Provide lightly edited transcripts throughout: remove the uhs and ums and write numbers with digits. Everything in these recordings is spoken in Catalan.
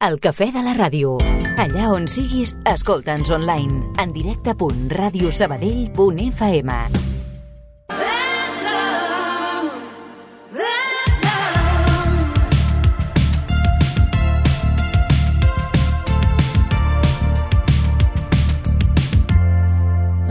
El cafè de la ràdio. Allà on siguis, escolta'ns online. En directe.radiosabadell.fm.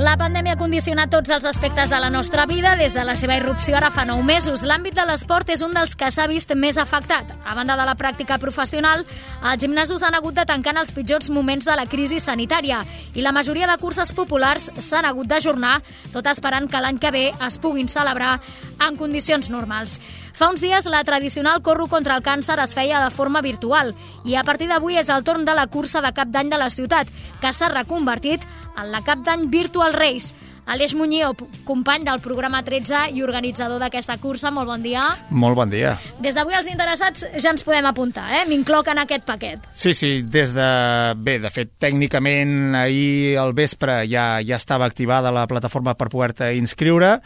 La pandèmia ha condicionat tots els aspectes de la nostra vida des de la seva irrupció ara fa 9 mesos. L'àmbit de l'esport és un dels que s'ha vist més afectat. A banda de la pràctica professional, els gimnasos han hagut de tancar en els pitjors moments de la crisi sanitària i la majoria de curses populars s'han hagut d'ajornar, tot esperant que l'any que ve es puguin celebrar en condicions normals. Fa uns dies la tradicional corro contra el càncer es feia de forma virtual i a partir d'avui és el torn de la cursa de cap d'any de la ciutat, que s'ha reconvertit en la Cap d'Any Virtual Race. Aleix Muñío, company del programa 13 i organitzador d'aquesta cursa, molt bon dia. Molt bon dia. Des d'avui els interessats ja ens podem apuntar, m'incloc en aquest paquet. Sí, de fet, tècnicament ahir al vespre ja estava activada la plataforma per poder-te inscriure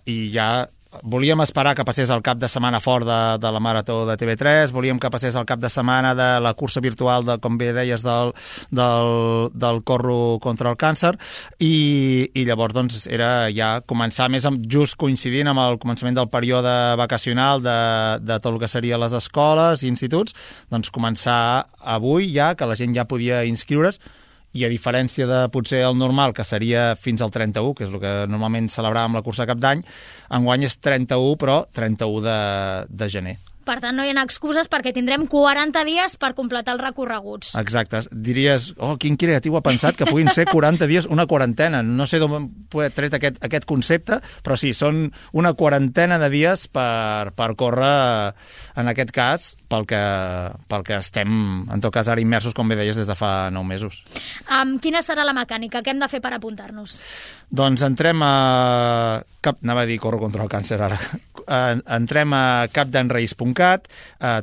i ja volíem esperar que passés el cap de setmana fort de la Marató de TV3, volíem que passés el cap de setmana de la cursa virtual, com bé deies, del corro contra el càncer, i llavors doncs, era ja començar més just coincidint amb el començament del període vacacional de tot el que serien les escoles i instituts, doncs començar avui ja, que la gent ja podia inscriure's, i a diferència de potser el normal, que seria fins al 31, que és el que normalment celebràvem la cursa de cap d'any, enguany és 31, però 31 de gener. Per tant, no hi ha excuses perquè tindrem 40 dies per completar els recorreguts. Exacte. Diries, quin creatiu ha pensat que puguin ser 40 dies, una quarantena. No sé d'on he tret aquest concepte, però sí, són una quarantena de dies per córrer, en aquest cas, pel que estem, en tot cas, ara immersos, com bé deies, des de fa 9 mesos. Quina serà la mecànica? Què hem de fer per apuntar-nos? Doncs entrem a... Anava a dir corro contra el càncer ara. Entrem a capdanrace.cat,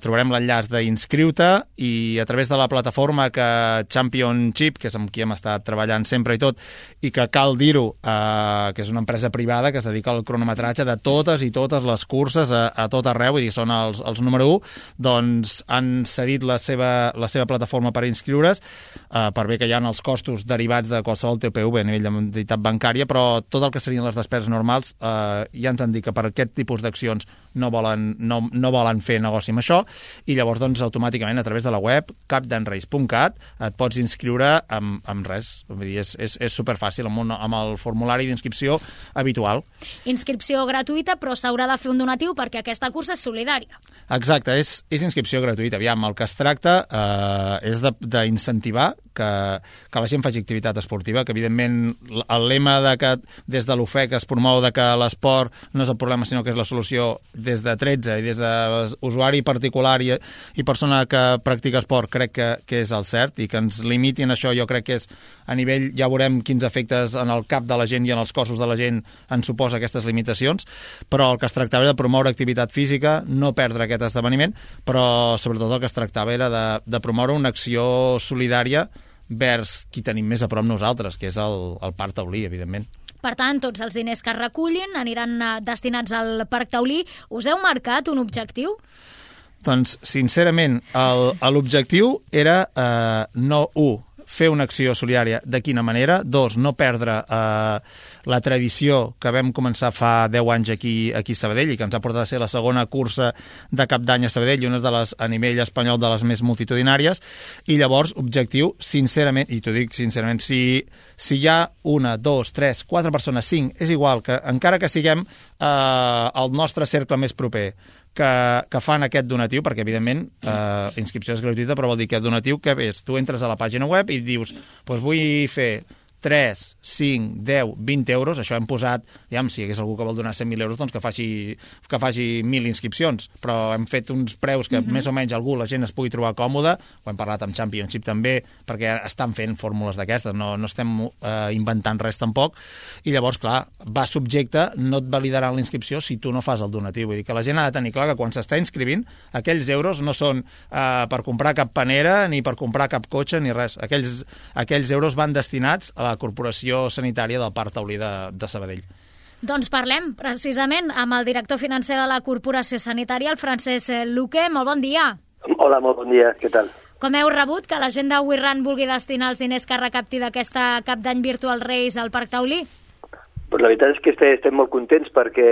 trobarem l'enllaç d'inscriu-te i a través de la plataforma Championship, que és amb qui hem estat treballant sempre i tot, i que cal dir-ho, que és una empresa privada que es dedica al cronometratge de totes i totes les curses a tot arreu, vull dir, són els número 1, doncs han cedit la seva plataforma per inscriure's, per bé que hi ha els costos derivats de qualsevol TPV a nivell d'entitat bancària, però tot el que serien les despeses normals ja ens han dit que per aquest tipus d'accions no volen fer negoci amb això, i llavors doncs automàticament a través de la web capdanrace.cat et pots inscriure amb res. Vull dir, és superfàcil, amb el formulari d'inscripció habitual. Inscripció gratuïta, però s'haurà de fer un donatiu perquè aquesta cursa és solidària. Exacte, és inscripció gratuïta. Aviam, el que es tracta és d'incentivar que la gent faci activitat esportiva, que evidentment el lema que des de l'UFEC es promou que l'esport no és el problema sinó que és la solució des de 13 i des d'usuari particular i persona que practica esport, crec que és el cert, i que ens limitin això jo crec que és a nivell, ja veurem quins efectes en el cap de la gent i en els cossos de la gent en suposa aquestes limitacions, però el que es tractava era de promoure activitat física, no perdre aquest esdeveniment, però sobretot el que es tractava era de promoure una acció solidària vers qui tenim més a prop nosaltres, que és el Parc Taulí, evidentment. Per tant, tots els diners que es recullin aniran destinats al Parc Taulí. Us heu marcat un objectiu? Doncs, sincerament, l'objectiu era fer una acció solidària de quina manera, 2, no perdre la tradició que vam començar fa 10 anys aquí a Sabadell i que ens ha portat a ser la segona cursa de cap d'any a Sabadell i una de les, a nivell espanyol, de les més multitudinàries, i llavors, objectiu, sincerament, i t'ho dic sincerament, si hi ha 1, 2, 3, 4 persones, 5, és igual, que encara que siguem el nostre cercle més proper, que fan aquest donatiu, perquè evidentment inscripció és gratuïta, però vol dir que el donatiu que és, tu entres a la pàgina web i dius, doncs vull fer 3, 5, 10, 20 euros, això hem posat, si hi hagués algú que vol donar 100.000 euros, doncs que faci 1.000 inscripcions, però hem fet uns preus que més o menys la gent es pugui trobar còmode, ho hem parlat amb Championship també, perquè estan fent fórmules d'aquestes, no estem inventant res tampoc, i llavors, clar, va subjecte, no et validaran la inscripció si tu no fas el donatiu, vull dir que la gent ha de tenir clar que quan s'està inscrivint, aquells euros no són per comprar cap panera, ni per comprar cap cotxe, ni res, aquells euros van destinats a la Corporació Sanitària del Parc Taulí de Sabadell. Doncs parlem precisament amb el director financer de la Corporació Sanitària, el Francesc Luque. Molt bon dia. Hola, molt bon dia, què tal? Com heu rebut que la gent de WeRun vulgui destinar els diners que recapti d'aquesta Cap d'Any Virtual Race al Parc Taulí? Pues la veritat és que estem molt contents perquè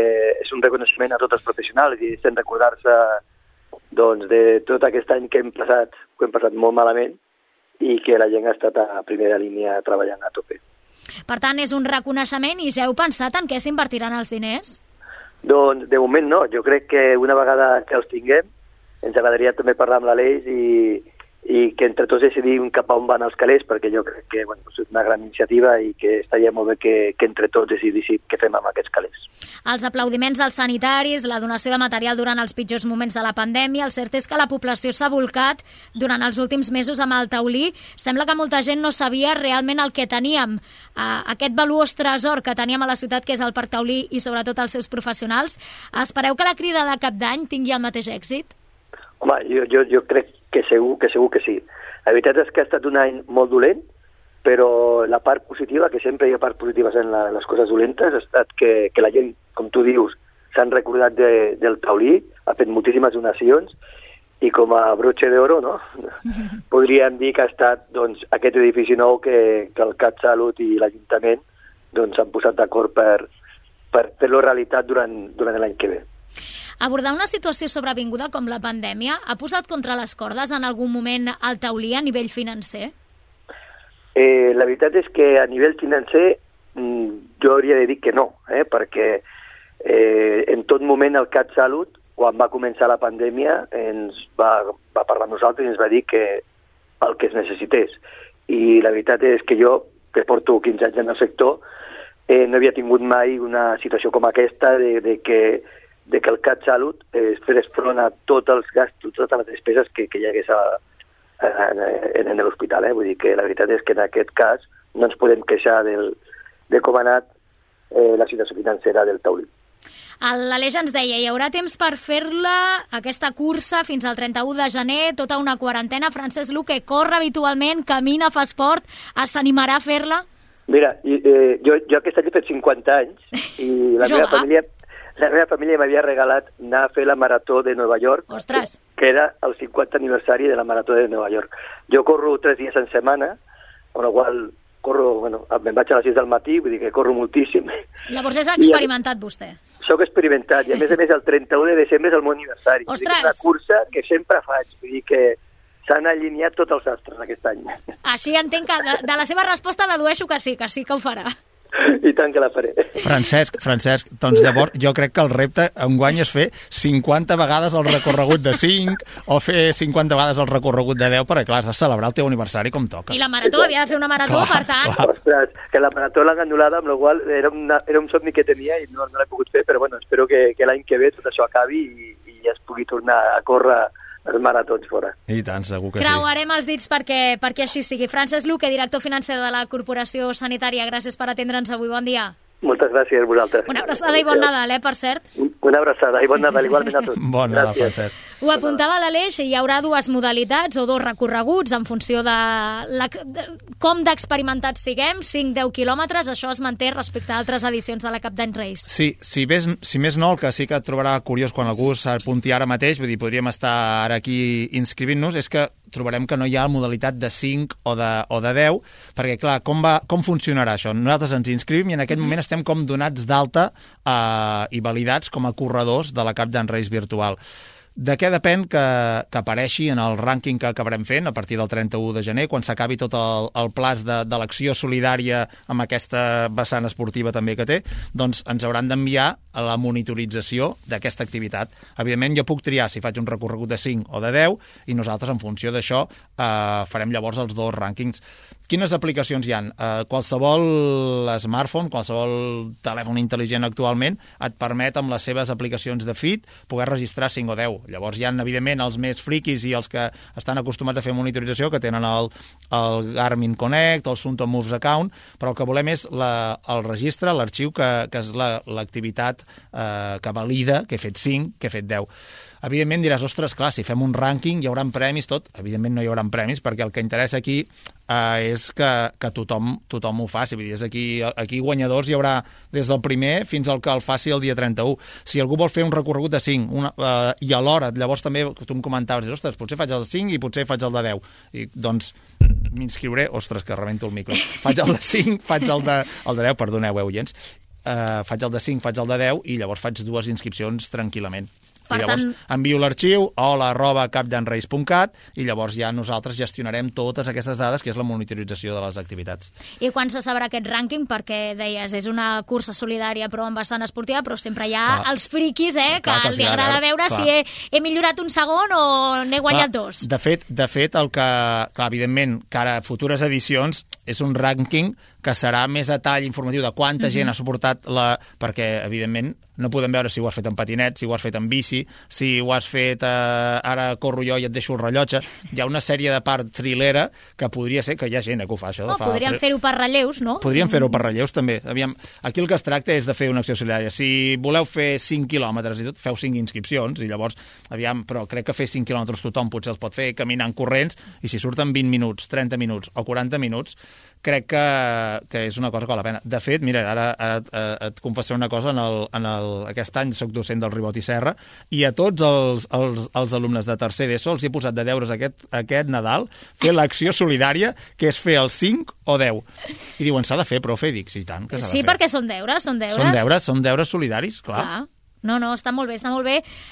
és un reconeixement a tots els professionals i estem recordar-se doncs, de tot aquest any que hem passat molt malament i que la gent ha estat a primera línia treballant a tope. Per tant, és un reconeixement i ja heu pensat en què s'invertiran els diners? Doncs de moment no, jo crec que una vegada que els tinguem ens agradaria també parlar amb l'Aleix i que entre tots decidim cap a on van els calés, perquè jo crec que és una gran iniciativa i que estaria molt bé que entre tots decidíssim què fem amb aquests calés. Els aplaudiments als sanitaris, la donació de material durant els pitjors moments de la pandèmia, el cert és que la població s'ha volcat durant els últims mesos amb el taulí. Sembla que molta gent no sabia realment el que teníem, aquest valuós tresor que teníem a la ciutat, que és el Parc Taulí i sobretot els seus professionals. Espereu que la crida de Cap d'Any tingui el mateix èxit? Home, jo crec que segur que sí. La veritat és que ha estat un any molt dolent, però la part positiva, que sempre hi ha part positives en les coses dolentes, ha estat que la gent, com tu dius, s'han recordat del taulí, ha fet moltíssimes donacions, i com a broche d'oro, no? Podríem dir que ha estat doncs, aquest edifici nou que el CatSalut i l'Ajuntament doncs, s'han posat d'acord per fer-lo realitat durant l'any que ve. Abordar una situació sobrevinguda com la pandèmia ha posat contra les cordes en algun moment el taulí a nivell financer? La veritat és que a nivell financer jo hauria de dir que no, perquè en tot moment el CatSalut, quan va començar la pandèmia, ens va parlar amb nosaltres i ens va dir que el que es necessités. I la veritat és que jo, que porto 15 anys en el sector, no havia tingut mai una situació com aquesta de que el CatSalut fes front a tots els gastos, totes les despeses que hi hagués en l'hospital. Vull dir que la veritat és que en aquest cas no ens podem queixar de com ha anat la situació financera del taulí. L'Aleix ens deia, hi haurà temps per fer-la, aquesta cursa, fins al 31 de gener, tota una quarantena. Francesc Luque corre habitualment, camina, fa esport, s'animarà a fer-la? Mira, jo aquest any he fet 50 anys i la meva família m'havia regalat anar a fer la marató de Nova York, que era el 50 aniversari de la marató de Nova York. Jo corro 3 dies en setmana, amb la qual me'n vaig a les 6 del matí, vull dir que corro moltíssim. Llavors és experimentat vostè. Soc experimentat, i a més el 31 de desembre és el meu aniversari. Ostres! És una cursa que sempre faig, vull dir que s'han alineat tots els astres aquest any. Així entenc que de la seva resposta dedueixo que sí que ho farà. I tant que la faré. Francesc, doncs llavors jo crec que el repte enguany és fer 50 vegades el recorregut de 5 o fer 50 vegades el recorregut de 10, perquè clar, has de celebrar el teu aniversari com toca. I la marató, havia de fer una marató, per tant... Ostres, que la marató l'han anul·lada, amb la qual era un somni que tenia i no l'he pogut fer, però espero que l'any que ve tot això acabi i ja es pugui tornar a córrer els maratons fora. I tant, segur que sí. Creuarem els dits perquè així sigui. Francesc Luque, director financer de la Corporació Sanitària, gràcies per atendre'ns avui. Bon dia. Moltes gràcies a vosaltres. Una abraçada i bon Nadal, per cert. Una abraçada i bon Nadal, igualment a tots. Bon Nadal, Francesc. Ho apuntava l'Aleix, hi haurà 2 modalitats o 2 recorreguts en funció de com d'experimentats siguem, 5-10 quilòmetres, això es manté respecte a altres edicions de la Cap d'Any Race. Sí, si més no, el que sí que et trobarà curiós quan algú s'apunti ara mateix, vull dir, podríem estar ara aquí inscrivint-nos, és que trobarem que no hi ha modalitat de 5 o de 10, perquè, clar, com funcionarà això? Nosaltres ens inscrivim i en aquest moment estem com donats d'alta i validats com a corredors de la Cap d'Any Race virtual. De què depèn que apareixi en el rànquing que acabarem fent a partir del 31 de gener, quan s'acabi tot el plaç de l'acció solidària amb aquesta vessant esportiva també que té, doncs ens hauran d'enviar a la monitorització d'aquesta activitat. Evidentment, jo puc triar si faig un recorregut de 5 o de 10 i nosaltres, en funció d'això, farem llavors els 2 rànquings. Quines aplicacions hi ha? Qualsevol smartphone, qualsevol telèfon intel·ligent actualment et permet amb les seves aplicacions de Fit poder registrar 5 o 10. Llavors hi ha, evidentment, els més friquis i els que estan acostumats a fer monitorització, que tenen el Garmin Connect o el Sunto Moves Account, però el que volem és el registre, l'arxiu, que és l'activitat que valida que he fet 5, que he fet 10. Evidentment diràs, ostres, clar, si fem un rànquing hi haurà premis, tot. Evidentment no hi haurà premis, perquè el que interessa aquí és que tothom ho faci. Vull dir, aquí guanyadors hi haurà des del primer fins al que el faci el dia 31. Si algú vol fer un recorregut de 5 i alhora, llavors també tu em comentaves, ostres, potser faig el de 5 i potser faig el de 10. I doncs m'inscriuré, ostres, que rebento el micro. Faig el de 5, faig el de 10, perdoneu, oients. Faig el de 5, faig el de 10 i llavors faig 2 inscripcions tranquil·lament. I llavors envio l'arxiu hola@capdanreis.cat i llavors ja nosaltres gestionarem totes aquestes dades, que és la monitorització de les activitats. I quan se sabrà aquest rànquing? Perquè deies, és una cursa solidària però amb bastant esportiva, però sempre hi ha els friquis, que els agrada veure si he millorat un segon o n'he guanyat 2. De fet, el que, evidentment, cara a futures edicions, és un rànquing que serà més a tall informatiu de quanta gent ha suportat perquè, evidentment, no podem veure si ho has fet en patinet, si ho has fet en bici, si ho has fet ara corro jo i et deixo el rellotge. Hi ha una sèrie de part trilera que podria ser, que hi ha gent que ho fa, això. Podríem fer-ho per relleus, no? Podríem fer-ho per relleus, també. Aviam, aquí el que es tracta és de fer una acció solidària. Si voleu fer 5 quilòmetres i tot, feu 5 inscripcions, i llavors, però crec que fer 5 quilòmetres tothom potser els pot fer caminant corrents, i si surten 20 minuts, 30 minuts o 40 minuts, crec que és una cosa que val la pena. De fet, mira, ara et confessaré una cosa, aquest any soc docent del Ribot i Serra, i a tots els alumnes de tercer d'ESO els he posat de deures aquest Nadal fer l'acció solidària, que és fer el 5 o 10. I diuen, s'ha de fer, profe? I dic, sí, tant, que s'ha de fer. Sí, perquè són deures. Són deures solidaris, clar. No, està molt bé,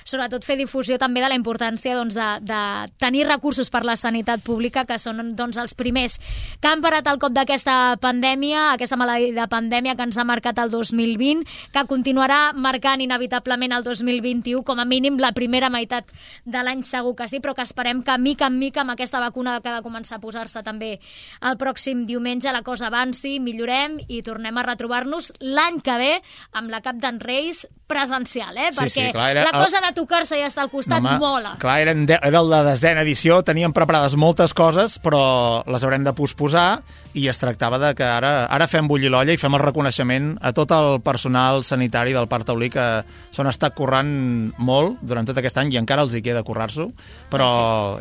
sobretot fer difusió també de la importància de tenir recursos per la sanitat pública, que són els primers que han parat el cop d'aquesta pandèmia, aquesta maleïda pandèmia que ens ha marcat el 2020, que continuarà marcant inevitablement el 2021, com a mínim la primera meitat de l'any segur que sí, però que esperem que mica en mica amb aquesta vacuna que ha de començar a posar-se també el pròxim diumenge la cosa avanci, millorem i tornem a retrobar-nos l'any que ve amb la Cap d'en Reis presencial, perquè la cosa de tocar-se i estar al costat mola. Clar, era la 10ª edició, teníem preparades moltes coses, però les haurem de posposar, i es tractava de que ara fem bullir l'olla i fem el reconeixement a tot el personal sanitari del Parc Taulí, que s'han estat currant molt durant tot aquest any i encara els hi queda currar-s'ho, però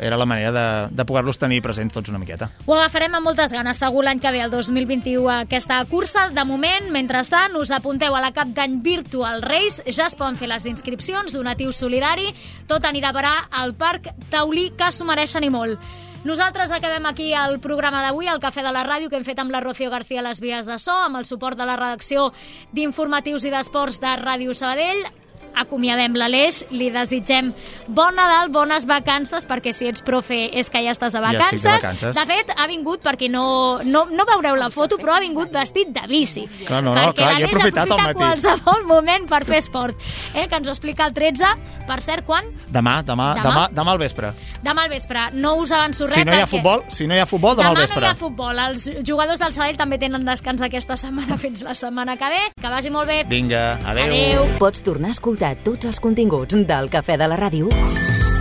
era la manera de poder-los tenir presents tots una miqueta. Ho agafarem amb moltes ganes, segur l'any que ve, el 2021, aquesta cursa. De moment, mentrestant, us apunteu a la Cap d'Any Virtual Race, ja es poden fer les inscripcions, donatiu solidari, tot anirà a parar al Parc Taulí, que s'ho mereixen i molt. Nosaltres acabem aquí el programa d'avui, el Cafè de la Ràdio, que hem fet amb la Rocío García a les vies de so, amb el suport de la redacció d'informatius i d'esports de Ràdio Sabadell. Acomiadem l'Aleix, li desitgem bon Nadal, bones vacances, perquè si ets profe és que ja estàs de vacances. Ja estic de vacances. De fet, ha vingut, perquè no veureu la foto, però ha vingut vestit de bici. Clar, perquè l'Aleix aprofita qualsevol moment per fer esport. Que ens ho explica el 13. Per cert, quan? Demà al vespre. Demà al vespre. No us avanço res. Si no hi ha futbol, demà al vespre. Demà no hi ha futbol. Els jugadors del Sabadell també tenen descans aquesta setmana fins la setmana que ve. Que vagi molt bé. Vinga, adeu. Pots tornar a escoltar tots els continguts del Cafè de la Ràdio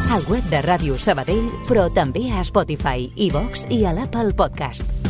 al web de Ràdio Sabadell, però també a Spotify, iVox i a l'Apple Podcast.